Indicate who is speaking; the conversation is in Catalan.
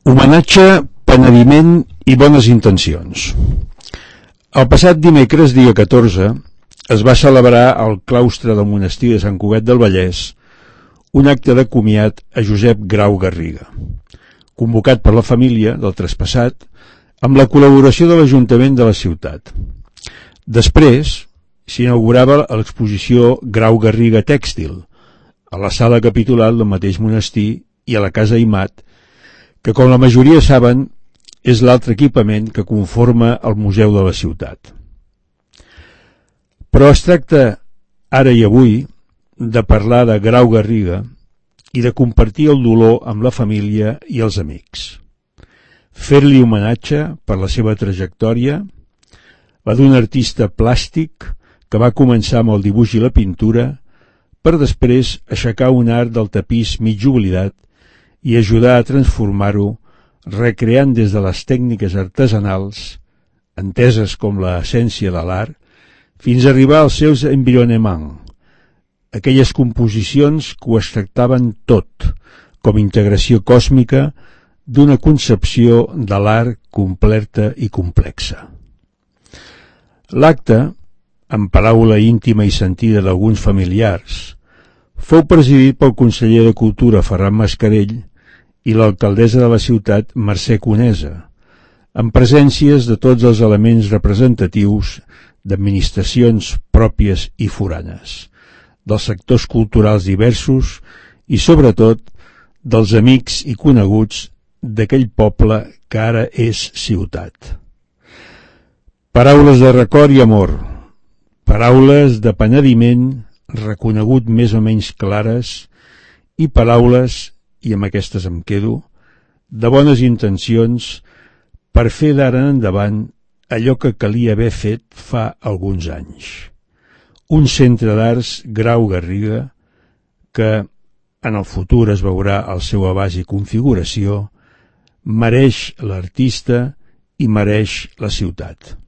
Speaker 1: Homenatge, penediment i bones intencions. El passat dimecres, dia 14, es va celebrar al claustre del monestir de Sant Cugat del Vallès un acte de comiat a Josep Grau Garriga, convocat per la família del traspassat amb la col·laboració de l'Ajuntament de la ciutat. Després s'inaugurava l'exposició Grau Garriga Tèxtil a la sala capitular del mateix monestir i a la Casa Aimat, que, com la majoria saben, és l'altre equipament que conforma el museu de la ciutat. Però es tracta, ara i avui, de parlar de Grau Garriga i de compartir el dolor amb la família i els amics. Fer-li homenatge per la seva trajectòria, la d'un artista plàstic que va començar amb el dibuix i la pintura per després aixecar un art del tapís mig oblidat i ajudar a transformar-ho, recreant des de les tècniques artesanals, enteses com l'essència de l'art, fins a arribar als seus environnements, aquelles composicions que ho extractaven tot, com integració còsmica d'una concepció de l'art completa i complexa. L'acte, en paraula íntima i sentida d'alguns familiars, fou presidit pel conseller de Cultura Ferran Mascarell i l'alcaldessa de la ciutat Mercè Conesa, amb presències de tots els elements representatius d'administracions pròpies i foranes, dels sectors culturals diversos i, sobretot, dels amics i coneguts d'aquell poble que ara és ciutat. Paraules de record i amor, paraules de penediment reconegut més o menys clares i paraules, i amb aquestes em quedo, de bones intencions per fer d'ara en endavant allò que calia haver fet fa alguns anys. Un centre d'arts Grau Garriga que, en el futur es veurà el seu abast i configuració, mereix l'artista i mereix la ciutat.